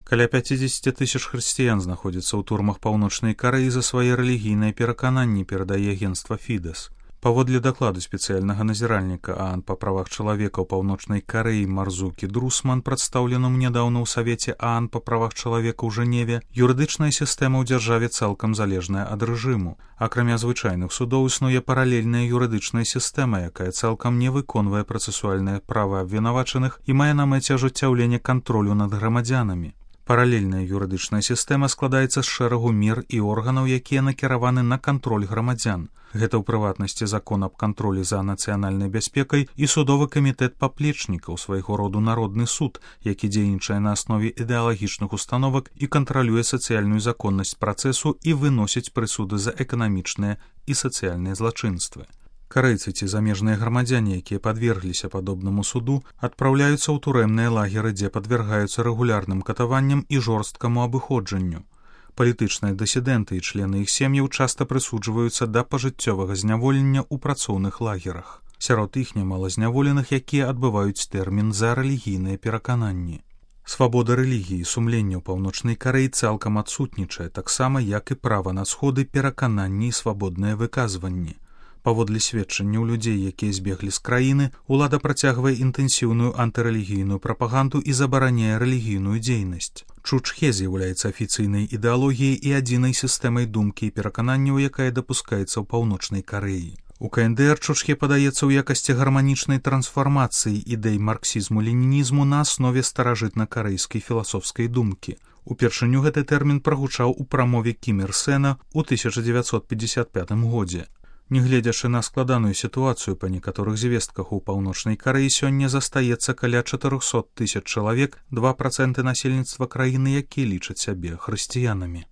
Каля 50 тысяч хрысціян знаходзяцца ў турмах Паўночнай Карэі за свае рэлігійныя перакананні, перадае агенцтва Фідэс. Паводле дакладу спецыяльнага назіральніка ААН па правах чалавека ў Паўночнай Карэі Марзукі Друсман, прадстаўленаму нядаўна ў Савеце ААН па правах чалавека ў Жэневе, юрыдычная сістэма ў дзяржаве цалкам залежная ад рэжыму. Акрамя звычайных судоў існуе паралельная юрыдычная сістэма, якая цалкам не выконвае працэсуальнае права абвінавачаных і мае на мэце ажыццяўленне кантролю над грамадзянамі. Паралельная юрыдычная сістэма складаецца з шэрагу мер і органаў, якія накіраваны на кантроль грамадзян. Гэта ў прыватнасці закон аб кантролі за нацыянальнай бяспекай і судовы камітэт паплечнікаў, свайго роду народны суд, які дзейнічае на аснове ідэалагічных установак і кантралюе сацыяльную законнасць працэсу і выносіць прысуды за эканамічныя і сацыяльныя злачынствы. Карэйцы ці замежныя грамадзяне, якія падвергліся падобнаму суду, адпраўляюцца ў турэмныя лагеры, дзе падвяргаюцца рэгулярным катаванням і жорсткаму абыходжанню. Палітычныя дысідэнты і члены іх сем'яў часта прысуджваюцца да пажыццёвага зняволення ў працоўных лагерах. Сярод іх нямала зняволеных, якія адбываюць тэрмін за рэлігійныя перакананні. Свабода рэлігіі і сумлення ў Паўночнай Карэі цалкам адсутнічае, таксама як і права на сходы, перакананні і свабодныя выказванні. Паводле сведчанняў людзей, якія збеглі з краіны, улада працягвае інтэнсіўную антырэлігійную прапаганду і забараняе рэлігійную дзейнасць. Чучхе з'яўляецца афіцыйнай ідэалогіяй і адзінай сістэмай думкі і перакананняў, якая дапускаецца ў Паўночнай Карэі. У КНДР Чучхе падаецца ў якасці гарманічнай трансфармацыі ідэй марксізму-ленінізму на аснове старажытна-карэйскай філасофскай думкі. Упершыню гэты тэрмін прагучаў у прамове Кім Ір Сэна ў 1955 годзе. Нягледзячы на складаную сітуацыю, па некаторых звестках у Паўночнай Карэі сёння застаецца каля 400 тысяч чалавек, 2% насельніцтва краіны, якія лічаць сябе хрысціянамі.